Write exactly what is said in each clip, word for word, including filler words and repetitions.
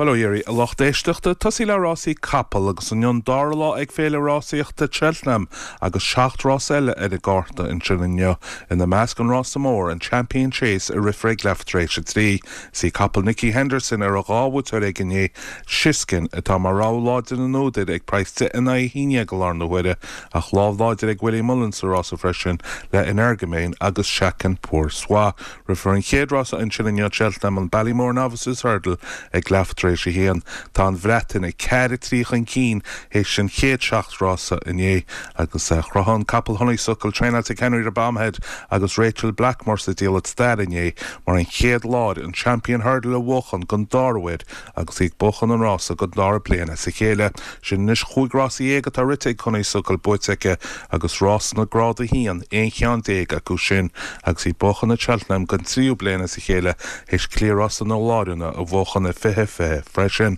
Bail ó Dhia oraibh, a lucht éisteachta. Tosaí le rásaí capall agus inniu an dara lá ag Féile Rásaíochta Cheltenham agus seacht rás eile ar an gcárta ansin inniu. Ina measc an rása mór, an Champion Chase, a rithfear ag leath tar éis a trí. Is í capall Nicky Henderson ar a dhá bhuaiteoir aige inné, Shiskin, atá mar rogha láidir na n-údar ag praghas deich in aghaidh a haon déag i láthair na huaire, ach lámh láidir ag Willie Mullins sa rása freisin le Energumene agus Chacun Pour Soi. Rithfear an chéad rása ansin inniu Cheltenham, an Ballymore Novices Hurdle, ag leath tar éis a haon. Tá an Bhreatain ag ceathair a trí chun cinn théis an chéad seacht rása inné agus chruthaigh an capall Honeysuckle, traenáilte ag Henry de Bromhead agus Rachel Blackmore sa diallait stair inné mar an chéad láir an Champion Hurdle a bhuachan don dara huair agus í ag buachan an rása don dara bliain as a chéile. Sin anois chúig rása dhéag atá rite ag Honeysuckle buaite aici agus rásanna grád a haon aon cheann déag acu sin agus í ag buachan ag Cheltenham don tríú bliain as a chéile théis Cliathrás na Láireanna a bhuachan i fiche fiche freisin.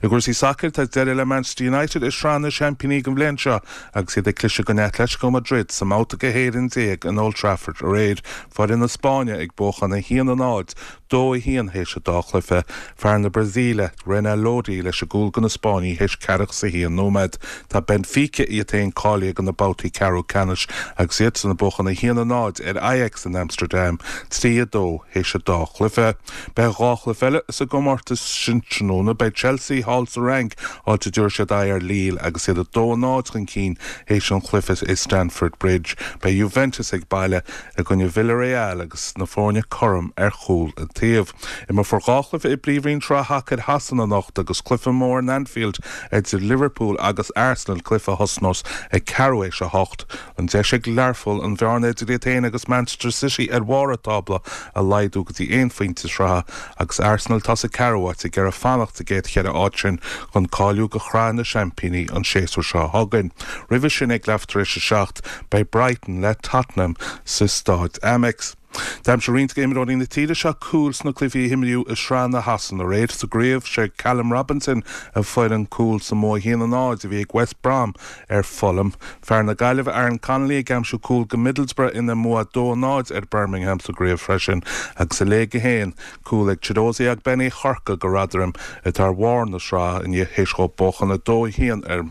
I gcúrsaí sacair, tá deireadh le Manchester United i Sraith na Seaimpíní don bhliain seo agus iad ag cliseadh in Atletico Madrid sa mbabhta go hÉirinn déag in Old Trafford aréir. Foireann na Spáinne ag buachan a haon a náid, dó a haon théis an dá chluiche. Fear na Brasaíle, Renan Lodi, leis an gcúl do na Spáinnigh théis ceathracha is a haon nóiméad. Tá Benfica iad féin cáilithe do na babhtaí ceathrú ceannais agus iadsan ag buachan a haon a náid ar Ajax in Amsterdam, trí a dó théis an dá chluiche. Beidh dhá chluiche eile sa gcomórtas sin tráthnóna. Beidh Chelsea thall sa Fhrainc, áit a dtabharfaidh siad aghaidh ar Lille agus iad a dó a náid chun cinn théis an chluiche i Stamford Bridge. Beidh Juventus ag baile i gcoinne Villarreal agus na foirne cothrom ar chúl an taobh. Imreofar dhá chluiche i bPríomhroinn Sraith Shacair Shasana anocht agus cluiche mór in Anfield idir Liverpool agus Arsenal, cluiche a thosnós ag ceathrú théis a hocht. An deis ag Learpholl an bhearna idir iad féin agus Manchester City ar bharr an tábla a laghdú go dtí aon phointe sraithe agus Arsenal atá sa ceathrú háit ag iarraidh fanacht sa gcéad cheithre áit sin chun cáiliú go Sraith na Seaimpíní an séasúr seo chugainn. Roimhe sin ag leath tar éis a seacht beidh Brighton le Tottenham sa Staid Amex. D'aimsigh roinnt d'imreoirí na tíre seo cúil sna cluichí a himríodh i Sraith na Shasana aréir. Sa gcraobh sé Callum Robinson a fuair an cúl sa mbua a haon a náid a bhí ag West Brom ar Fulham. Fear na Gaillimhe Aaron Connolly ag aimsiú cúl go Middlesbrough ina mbua dó a náid ar Birmingham sa gcraobh freisin agus sa Léig féin cúl ag Chidozie Ogbene Chorcaigh go Rotherham atá ar bharr na sraithe inniu théis dhóibh buachan a dó a haon ar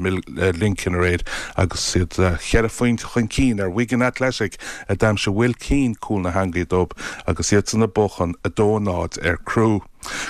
Lincoln aréir agus iad cheithre phointe chun cinn ar Wigan Athletic a d'aimsigh Will Keane cúl na heangaí dóibh agus iadsan ag buachan a dó a náid ar Crewe.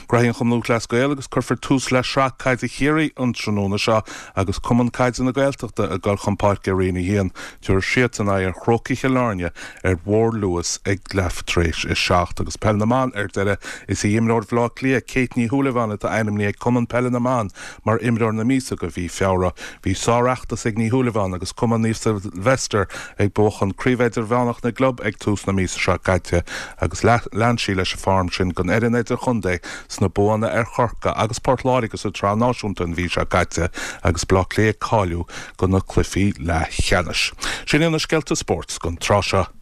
Gnóthaí an Chumann Lúthchleas Gael agus cuirfear tús le Sraith Caide Chiarraí an tráthnóna seo agus Cumann Caide na Gaeltachta ag dul chun páirce i Roinn a haon. Tabharfaidh siadsan aghaidh ar Chrócaigh Chill Airne ar Bhóthar Luas ag leath tar éis a seacht. Agus Peil na mBan ar deireadh, is í imreoir Bhaile Átha Cliath, Kate Ní Shúilleabháin atá ainmnithe ag Cumann Peile na mBan mar imreoir na míosa do mhí Feabhra. Bhí sárfheachtas ag Ní Shúilleabháin agus Cumann Naomh Sylvester ag buachan Craobh Idirmheánach na gClub ag tús na míosa seo caite agus lean sí leis an form sin don fhoireann idirchontae sna buanna ar Chorcaigh agus Port Láirge sa tsraith náisiúnta an mhí seo caite agus Baile Átha Cliath ag cáiliú do na cluichí leathcheannais. Sin iad na scéalta spóirt don tráth seo.